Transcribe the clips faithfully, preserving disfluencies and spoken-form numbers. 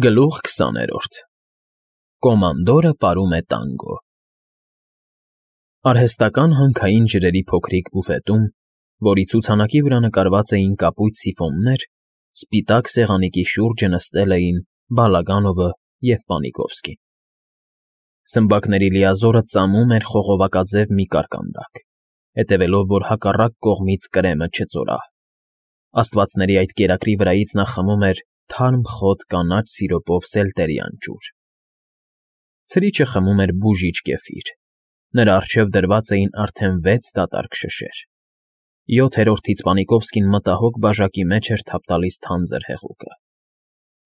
Գլուխ քսաներորդ Կոմանդորը պարում է տանգո Արհեստական հանքային ջրերի փոքրիկ բուֆետում, որի ցուցանակի վրա նկարված էին կապույտ սիֆոններ, սպիտակ սեղանիկի շուրջը նստել էին Բալագանովը և Պանիկովսկին։ Սմբակների լիազորը ծամում էր խողովակաձև մի կարկանդակ, հետևելով, որ հակառակ կողմից կրեմը չծորահ։ Աստվածների այդ կերակրի վրայից նա խմում էր թարմ խոտ կանաչ սիրոպով սելտերյան ջուր։ Ցրիչը խմում էր բուժիչ կեֆիր։ Նրա առջև դրված էին արդեն վեց դատարկ շշեր։ Յոթերորդից Պանիկովսկին մտահոգ բաժակի մեջ էր թափ տալիս թանձր հեղուկը։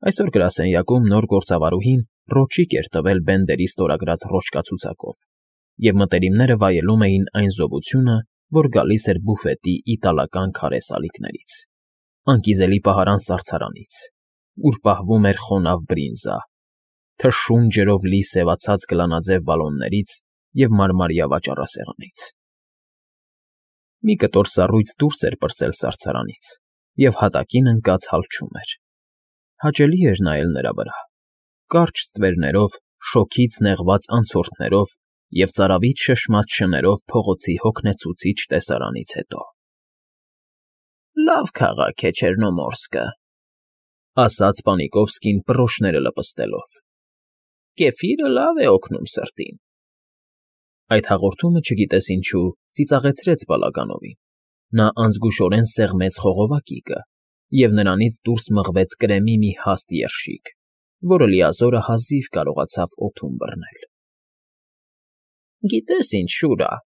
Այսօր գրասենյակում նոր գործավարուհին ռոճիկ էր տվել Բենդերի ստորագրած ռոճկացուցակով, և մտերիմները վայելում էին այն զովությունը, որ գալիս էր բուֆետի իտալական քարե սալիկներից, անկիզելի պահարան սարցարանից, ուր պահվում էր խոնավ բրինզա, թշուն ջրով լի սևացած գլանաձև բալոններից և մարմարյա վաճառասեղանից։ Մի կտոր սառույց դուրս էր պրծել սարցարանից և հատակին ընկած հալչում էր։ Հաճելի էր նայել նրա վրա, կարճ ստվերներով, շոգից նեղված անցորդներով և ծարավիթ շշմած շներով փողոցի հոգնեցուցիչ տեսարանից հետո։ ֊ Լավ քաղաք է Չեռնոմորսկը,֊ ասաց Պանիկովսկին պռոշները լպստելով,֊ կեֆիրը լավ է օգնում սրտին։ Այդ հաղորդումը, չգիտես ինչու, ծիծաղեցրեց Բալագանովին։ Նա անզգուշորեն սեղմեց խողովակիկը, և նրանից դուրս մղվեց կրեմի մի հաստ երշիկ, որը լիազորը հազիվ կարողացավ օդում բռնել։ ֊ Գիտես ինչ, Շուրա,֊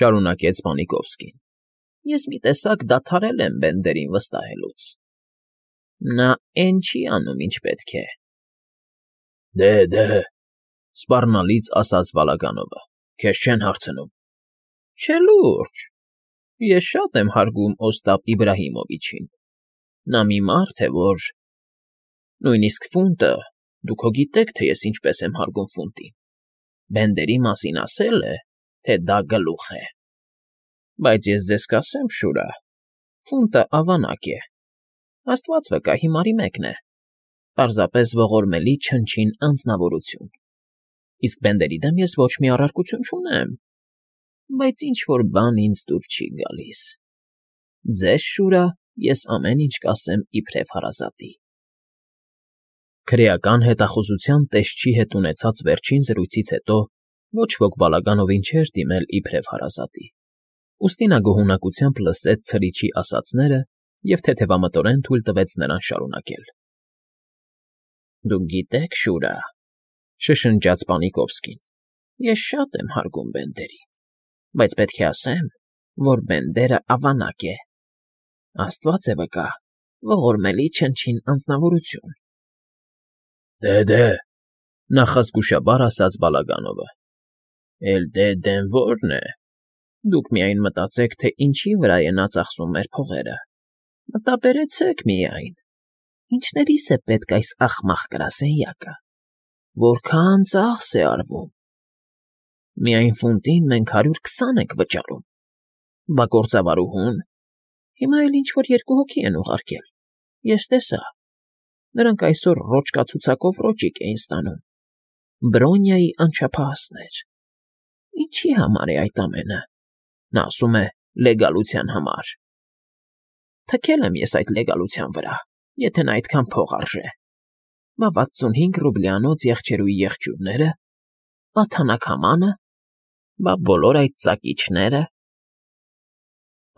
շարունակեց Պանիկովսկին,֊ ես մի տեսակ դադարել եմ Բենդերին վստահելուց։ Նա էն չի անում, ինչ պետք է։ ֊ Դե, դե,֊ սպառնալից ասաց Բալագանովը,֊ քեզ չեն հարցնում։ ֊ Չէ, լուրջ, ես շատ եմ հարգում Օստապ Իբրահիմովիչին։ Նա մի մարդ է, որ… Նույնիսկ ֆունտը, դուք հո գիտեք, թե ես ինչպես եմ հարգում ֆունտին, Բենդերի մասին ասել է, թե դա գլուխ է։ Բայց ես ձեզ կասեմ, Շուրա, ֆունտը ավանակ է, աստված վկա, հիմարի մեկն է, պարզապես ողորմելի չնչին անձնավորություն, իսկ Բենդերի դեմ ես ոչ մի առարկություն չունեմ, բայց ինչ֊որ բան ինձ դուր չի գալիս։ Ձեզ, Շուրա, ես ամեն ինչ կասեմ իբրև հարազատի։ Քրեական հետախուզության տեսչի հետ ունեցած վերջին զրույցից հետո ոչ ոք Բալագանովին չէր դիմել իբրև հարազատի, ուստի նա գոհունակությամբ լսեց ցրիչի ասածները և թեթևամտորեն թույլ տվեց նրան շարունակել։ ֊ Դուք գիտեք, Շուրա,֊ շշնջաց Պանիկովսկին,֊ ես շատ եմ հարգում Բենդերին, բայց պետք է ասեմ, որ Բենդերը ավանակ է, աստված է վկա, ողորմելի չնչին անձնավորություն։ ֊ Դե, դե,֊ նախազգուշաբար ասաց Բալագանովը,֊ էլ դե֊դեն ո՞րն է։ Դուք միայն մտածեք, թե ինչի վրա է նա ծախսում մեր փողերը, մտաբերեցեք միայն, ինչներիս է պետք այս ախմախ գրասենյակը, որքան ծախս է արվում։ Միայն ֆունտին մենք հարյուր քսան ենք վճարում, բա գործավարուհուն… Հիմա էլ ինչ֊որ երկու հոգի են ուղարկել, ես տեսա, նրանք այսօր ռոճկացուցակով ռոճիկ էին ստանում, Բրոնյայի անչափահասներ։ Ինչի համար է այդ ամենը։ Նա ասում է լեգալության համար։ Թքել եմ ես այդ լեգալության վրա, եթե նա այդքան փող արժե։ Բա վաթսունհինգ ռուբլյանոց եղջերուի եղջյուրները, բա թանաքամանը, բա բոլոր այդ ծակիչները…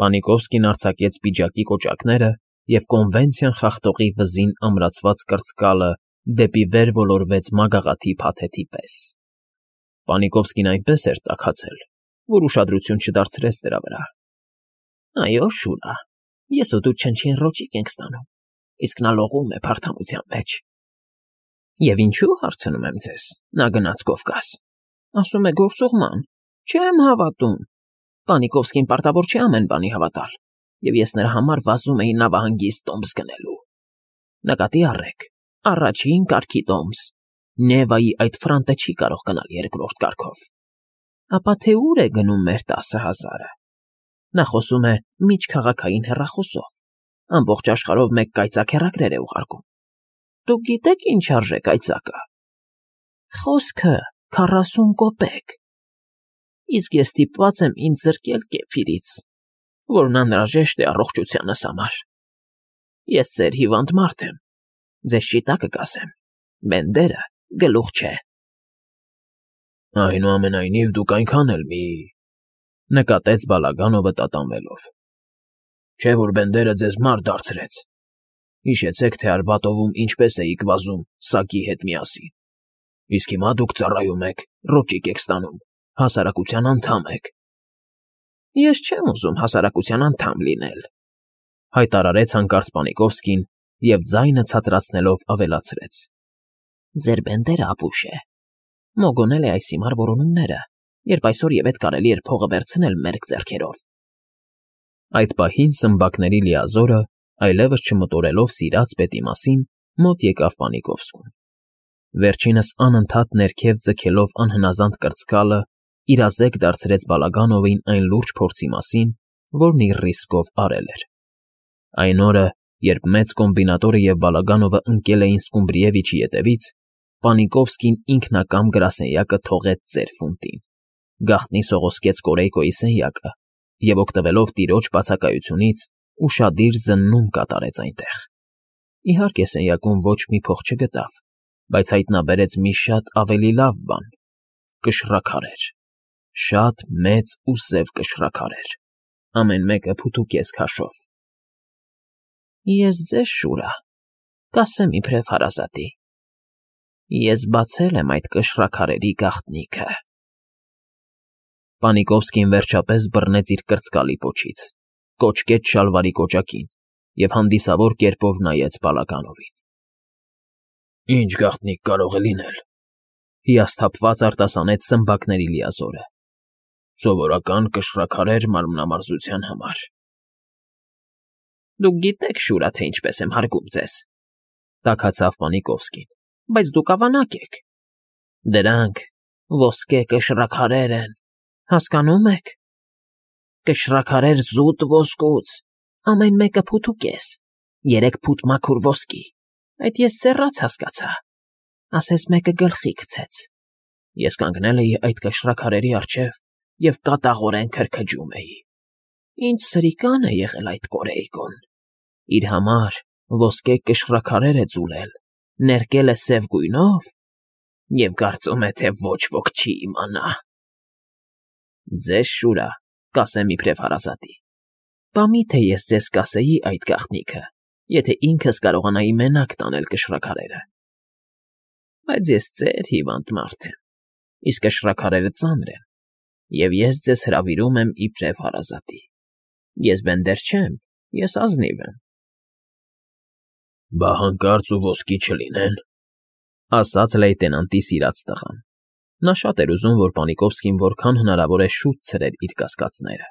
Պանիկովսկին արձակեց պիջակի կոճակները և կոնվենցիան խախտողի վզին ամրացված կրծկալը դեպի վեր ոլորվեց մագաղաթի փաթեթի պես։ Պանիկովսկին այնպես էր տաքացել, որ ուշադրություն չդարձրեց դրա վրա։ ֊ Այո, Շուրա, ես ու դու չնչին ռոճիկ ենք ստանում, իսկ նա լողում է փարթամության մեջ։ ֊ Եվ ինչու, հարցնում եմ ձեզ, նա գնաց Կովկաս, ասում է գործուղման, չեմ հավատում։ Պանիկովսկին պարտավոր չէ ամեն բանի հավատալ, և ես նրա համար վազում էի նավահանգիստ տոմս գնելու։ Նկատի առեք, առաջին կարգի տոմս, Նևայի այդ ֆրանտը չի կարող գնալ երկրորդ կարգով։ Ապա թե ուր է գնում մեր տասը հազարը։ Նա խոսում է միջքաղաքային հեռախոսով, ամբողջ աշխարհով մեկ կայծակ հեռագրեր է ուղարկում։ Դուք գիտեք ինչ արժե կայծակը։ Խոսքը քառասուն կոպեկ։ Իսկ ես ստիպված եմ ինձ զրկել կեֆիրից, որն անհրաժեշտ է առողջությանս համար։ Ես ձեր հիվանդ մարդ եմ, ձեզ շիտակը կասեմ, բենդերը գլուխ չէ։ Այնուամենայնիվ դուք այնքան էլ մի… նկատեց Բալագանովը տատանվելով։ Չէ՞ որ բենդերը ձեզ մարդ դարձրեց։ Հիշեցեք, թե Արբատովում ինչպես էիք վազում սակի հետ միասին։ Իսկ հիմա դուք ծառայում եք, ռոճիկ եք ստանում, հասարակության անդամ եք։ Ես չեմ ուզում հասարակության անդամ լինել, հայտարարեց հանկարծ Պանիկովսկին և ձայնը ցածրացնելով ավելացրեց. Ձեր բենդերը ապուշ է։ Մոգոնել է այս հիմար որոնումները, երբ այսօր ևեթ կարելի էր փողը վերցնել մերկ ձեռքերով։ Այդ պահին Սմբակների լիազորը, այլևս չմտորելով սիրած պետի մասին, մոտ եկավ Պանիկովսկուն։ Վերջինս անընդհատ ներքև ձգելով անհնազանդ կրծկալը, իրազեկ դարձրեց Բալագանովին այն լուրջ փորձի մասին, որն իր ռիսկով արել էր։ Այն օրը, երբ մեծ կոմբինատորը և Բալագանովը ընկել էին Սկումբրիևիչի ետևից, Պանիկովսկին ինքնակամ գրասենյակը թողեց ծեր ֆունտին, գաղտնի սողոսկեց Կորեյկոյի սենյակը և, օգտվելով տիրոջ բացակայությունից, ուշադիր զննում կատարեց այնտեղ։ Իհարկե, սենյակում ոչ մի փող չգտավ, բայց հայտնաբերեց մի շատ ավելի լավ բան՝ կշռաքարեր, շատ մեծ ու սև կշռաքարեր, ամեն մեկը փութուկես քաշով։ Ես ձեզ, Շուրա, կասեմ իբրև հարազատի, ես բացել եմ այդ կշռաքարերի գաղտնիքը։ Պանիկովսկին վերջապես բռնեց իր կրծկալի պոչից, կոճկեց շալվարի կոճակին և հանդիսավոր կերպով նայեց Բալագանովին։ Ինչ գաղտնիք կարող է լինել, հիասթափված արտասանեց Սմբակների լիազորը։ Սովորական կշռաքարեր մանրամասնության համար։ Դուք գիտեք, Շուրա, թե ինչպես եմ հարգում ձեզ, տաքացավ Պանիկովսկին, բայց դուք ավանակ եք։ Դրանք ոսկե կշռաքարեր են, հասկանո՞ւմ եք։ Կշռաքարեր զուտ ոսկուց, ամեն մեկը փութուկես, երեք փութ մաքուր ոսկի, այդ ես սեռած հասկացա, ասես մեկը գլխի գցեց։ Ես կանգնել էի այդ կշռաքարերի առջև և կատաղորեն քրքջում էի։ Ինչ սրիկան է եղել այդ Կորեյկոն, իր համար ոսկե կշռաքարեր է ձուլել, ներկել է սև գույնով և կարծում է, թե ոչ ոք չի իմանա։ Ձեզ, Շուրա, կասեմ իբրև հարազատի, բա միթե ես ձեզ կասեի այդ գաղտնիքը, եթե ինքս կարողանայի մենակ տանել կշռաքարերը։ Բայց ես ձեր հիվանդ մարդ եմ, իսկ կշռաքարերը ծանր են, և ես ձեզ հրավիրում եմ իբրև հարազատի։ Ես բենդեր չեմ, ես ազնիվ եմ։ Բա հանկարծ ու ոսկի չլինեն, ասաց լեյտենանտի սիրած տղան։ Նա շատ էր ուզում, որ Պանիկովսկին որքան հնարավոր է շուտ ցրեր իր կասկածները։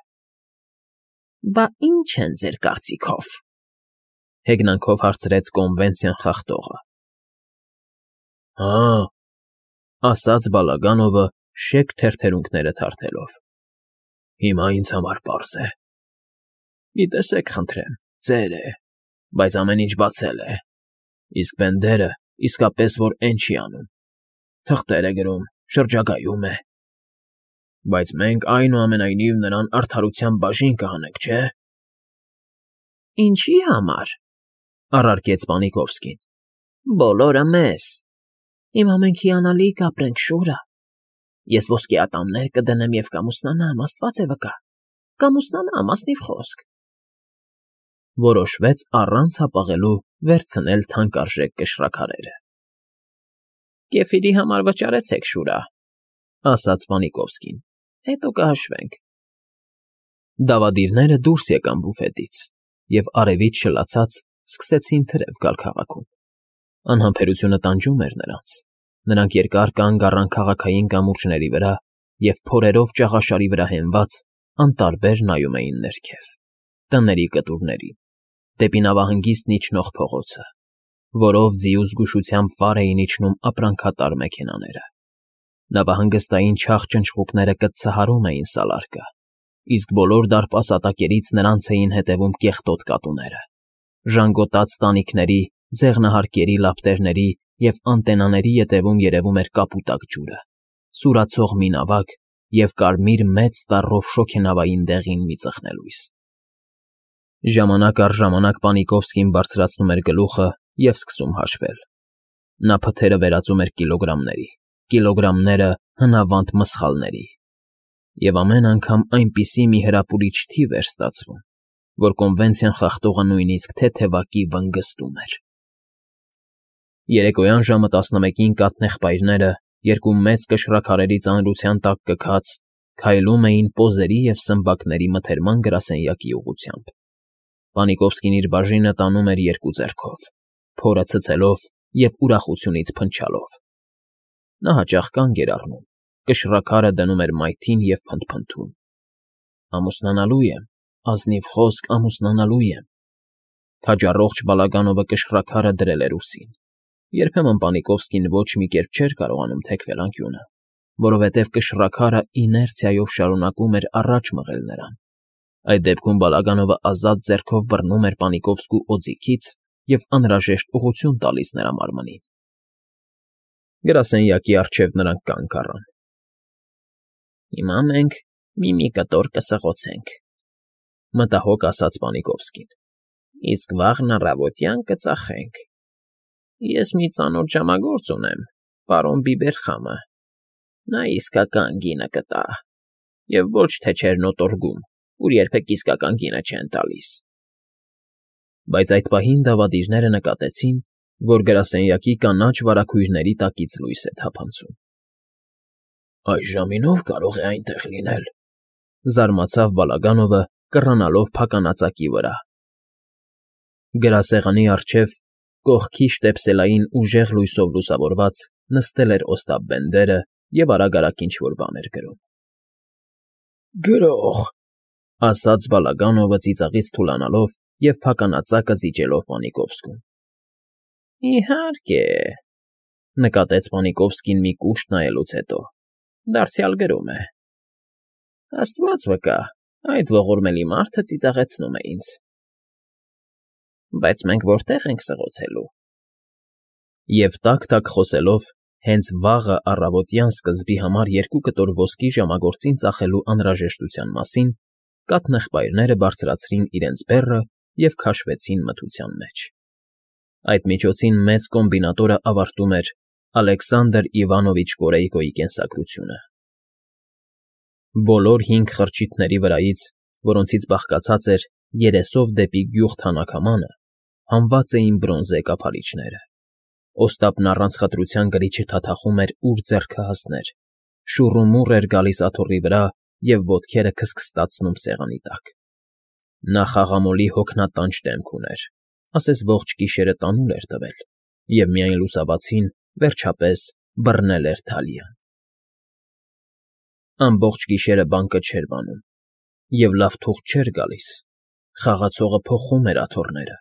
Բա ի՞նչ են ձեր կարծիքով, հեգնանքով հարցրեց կոնվենցիան խախտողը։ Հա, ասաց Բալագանովը շեկ թերթերունքները թարթելով։ Հիմա ինձ համար պարզ է։ Մի տեսեք, խնդրեմ, ծեր է, բայց ամեն ինչ բացել է, իսկ բենդերը իսկապես որ էն չի անում, թղթեր է գրում, շրջագայում է։ Բայց մենք այնուամենայնիվ նրան արդարության բաժին կհանենք, չէ՞։ Ինչի համար, առարկեց Պանիկովսկին։ Բոլորը մեզ։ Հիմա մենք հիանալի կապրենք, Շուրա։ Ես ոսկե ատամներ կդնեմ և կամուսնանամ, Աստված է վկա, կամուսնանամ, ազնիվ խոսք։ Որոշվեց առանց հապաղելու վերցնել թանկարժեք կշռաքարերը։ Կեֆիրի համար վճարեցեք, Շուրա, ասաց Պանիկովսկին, հետո կհաշվենք։ Դավադիրները դուրս եկան բուֆետից և արևից շլացած սկսեցին թրև գալ քաղաքում։ Անհամբերությունը տանջում էր նրանց։ Նրանք երկար կանգ առան քաղաքային կամուրջների վրա և փորերով ճաղաշարի վրա հենված անտարբեր նայում էին ներքև, տների կտուրներին, դեպի նավահանգիստն իջնող փողոցը, որով ձիու զգուշությամբ վար էին իջնում ապրանքատար մեքենաները։ Նավահանգստային չաղ ճնճղուկները կծահարում էին սալարկը, իսկ բոլոր դարպասատակերից նրանց էին հետևում կեղտոտ կատուները, ժանգոտած տանիքների ձեղնահարկերի, լապտերների և անտենաների ետևում երևում էր կապուտակ ջուրը, սուրացող մի նավակ և կարմիր մեծ տառով շոգենավային դեղին մի ծխնելույս։ Ժամանակ առ ժամանակ Պանիկովսկին բարձրացնում էր գլուխը և սկսում հաշվել։ Նա փթերը վերածում էր կիլոգրամների, կիլոգրամները հնավանդ մսխալների, և ամեն անգամ այնպիսի մի հրապուրիչ թիվ էր ստացվում, որ կոնվենցիան խախտողը նույնիսկ թեթևակի վնգստում էր։ Երեկոյան ժամը տասնմեկին կաթնեղբայրները, երկու մեծ կշռաքարերի ծանրության տակ կքած, քայլում էին պոզերի և սմբակների մթերման գրասենյակի ուղղությամբ։ Պանիկովսկին իր բաժինը տանում էր երկու ձեռքով, փորը ցցելով և ուրախությունից փնչալով։ Նա հաճախ կանգ էր առնում, կշռաքարը դնում էր մայթին և փնթփնթում. «Ամուսնանալու եմ, ազնիվ խոսք, ամուսնանալու եմ»։ Քաջառողջ Բալագանովը կշռաքարը դրել էր ուսին։ Երբեմն Պանիկովսկին ոչ մի կերպ չէր կարողանում թեքվել անկյունը, որովհետև կշռաքարը իներցիայով շարունակում էր առաջ մղել նրան։ Այդ դեպքում Բալագանովը ազատ ձեռքով բռնում էր Պանիկովսկու օձիքից և անհրաժեշտ ուղղություն տալիս նրա մարմնին։ Գրասենյակի առջև նրանք կանգ առան։ «Հիմա մենք մի֊մի կտոր կսղոցենք», մտահոգ ասաց Պանիկովսկին, «իսկ վաղն առավոտյան կծախենք։ Ես մի ծանոթ ժամագործ ունեմ, պարոն Բիբերխամը, նա իսկական գինը կտա, և ոչ թե Չեռնոտորգում, ուր երբեք իսկական գինը չեն տալիս»։ Բայց այդ պահին դավադիրները նկատեցին, որ գրասենյակի կանաչ վարագույրների տակից լույս է թափանցում։ «Այս ժամին ո՞վ կարող է այնտեղ լինել», զարմացավ Բալագանովը, կռանալով փականածակի վրա։ Գրասեղանի առջև, կողքի շտեպսելային ուժեղ լույսով լուսավորված, նստել էր Օստապ Բենդերը և արագ֊արագ ինչ֊որ բան էր գրում։ «Գրո՜ղ», ասաց Բալագանովը ծիծաղից թուլանալով և փականածակը զիջելով Պանիկովսկուն։ «Իհարկե», նկատեց Պանիկովսկին մի կուշտ նայելուց հետո, դարձյալ գրում է։ «Աստված վկա, այդ ողորմելի մարդը ծիծաղեցնում է ինձ։ Բայց մենք որտե՞ղ ենք սղոցելու»։ Եվ տաք֊տաք խոսելով, հենց վաղը առավոտյան սկզբի համար երկու կտոր ոսկի ժամագործին ծախելու անհրաժեշտության մասին, կաթնեղբայրները բարձրացրին իրենց բեռը և քաշվեցին մթության մեջ։ Այդ միջոցին մեծ կոմբինատորը ավարտում էր Ալեքսանդր Իվանովիչ Կորեյկոյի կենսագրությունը։ Բոլոր հինգ խրճիթների վրայից, որոնցից բաղկացած էր երեսով դեպի գյուղ թանաքամանը, հանված էին բրոնզե կափարիչները։ Օստապն առանց խտրության գրիչը թաթախում էր ուր ձեռքը հասներ, շուռումուռ էր գալիս աթոռի վրա և ոտքերը քստքստացնում սեղանի տակ։ Նա խաղամոլի հոգնատանջ դեմք ուներ, ասես ողջ գիշերը տանուլ էր տվել, և միայն լուսաբացին, վերջապես, բռնել էր Թալիան։ Ամբողջ գիշերը բանկը չէր բանում, և լավ թուղթ չէր գալիս, խաղացողը փոխում էր աթոռները,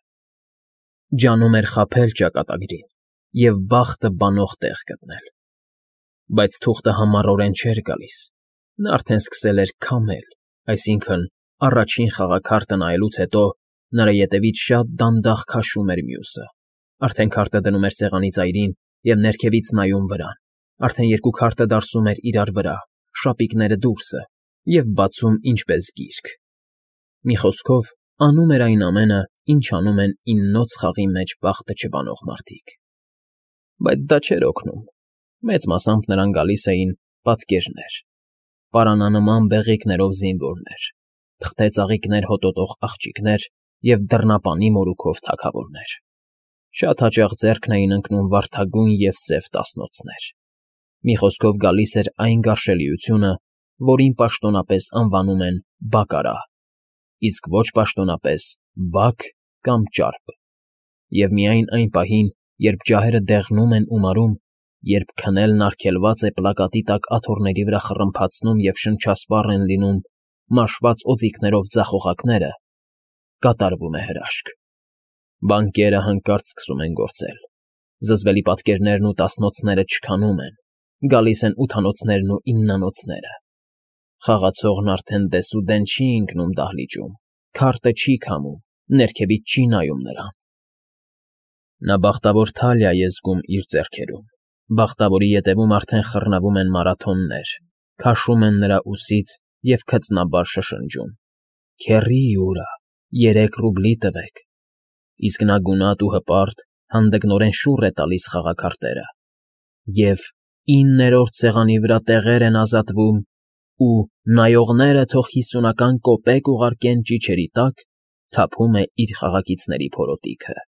ջանում էր խաբել ճակատագրին և բախտը բանող տեղ գտնել։ Բայց թուղթը համառորեն չէր գալիս, նա արդեն սկսել էր քամել, այսինքն՝ առաջին խաղաքարտը նայելուց հետո նրա ետևից շատ դանդաղ քաշում էր մյուսը, արդեն քարտը դնում էր սեղանի ծայրին և ներքևից նայում վրան, արդեն երկու քարտը դարսում էր իրար վրա, շապիկները դուրսը, և բացում ինչպես գիրք։ Մի խոսքով, անում էր այն ամենը, ինչ անում են իննոց խաղի մեջ բախտը չբանող մարդիկ։ Բայց դա չէր օգնում, մեծ մասամբ նրան գալիս էին պատկերներ, պարանանման բեղիկներով զինվորներ, թղթե ծաղիկներ հոտոտող աղջիկներ և դռնապանի մորուքով թագավորներ։ Շատ հաճախ ձեռքն էին ընկնում վարդագույն և սև տասնոցներ։ Մի խոսքով գալիս էր այն գարշելիությունը, որին պաշտոնապես անվանում են բակարա, իսկ ոչ պաշտոնապես բակ կամ ճարպ, և միայն այն պահին, երբ ջահերը դեղնում են ու մարում, երբ քնելն արգելված է պլակատի տակ աթոռների վրա խռմփացնում և շնչասպառ են լինում մաշված օձիքներով ձախ օղակները, կատարվում է հրաշք։ Բանկերը հանկարծ սկսում են գործել, զզվելի պատկերներն ու տասնոցները չքանում են, գալիս են ութանոցներն ու իննանոցները։ Խաղացողն արդեն դեսուդեն չի ընկնում դահլիճում, քարտը չի քամում, ներքևից չի նայում նրան։ Նա բախտավոր Թալիա է զգում իր ձեռքերում, բախտավորի ետևում արդեն խռնվում են մարաթոններ, քաշում են նրա ուսից և քծնաբար շշնջում. «Քեռի ուրա, երեք ռուբլի տվեք», իսկ նա գունատ ու հպարտ հանդգնորեն շուռ է տալիս խաղաքարտերը, և «իններորդ սեղանի վրա տեղեր են ազատվում» ու «նայողները թող հիսունական կոպեկ ուղարկեն ճիչերի տակ» թափում է իր խաղակիցների փորոտիքը,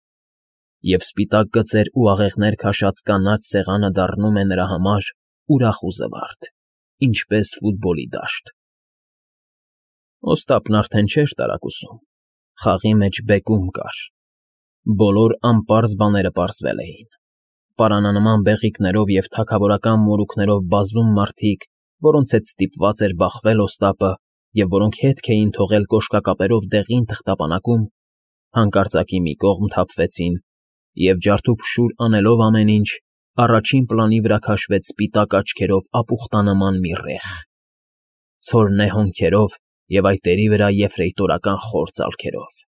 և սպիտակ գծեր ու աղեղներ քաշած կանաչ սեղանը դառնում է նրա համար ուրախ ու զվարթ, ինչպես ֆուտբոլի դաշտ։ Օստապն արդեն չէր տարակուսում, խաղի մեջ բեկում կար, բոլոր անպարզ բաները պարզվել էին, պարանանման բեղիկներով և թագավորական մորուքներով բազում մարդիկ, որոնց հետ ստիպված էր բախվել Օստապը և որոնք հետք էին թողել կոշկակապերով դեղին թղթապանակում, հանկարծակի մի կողմ թափվեցին և, ջարդուփշուր անելով ամեն ինչ, առաջին պլանի վրա քաշվեց սպիտակ աչքերով ապուխտանման մի ռեխ, ցորենե հոնքերով և այտերի վրա եֆրեյտորական խոր ծալքերով։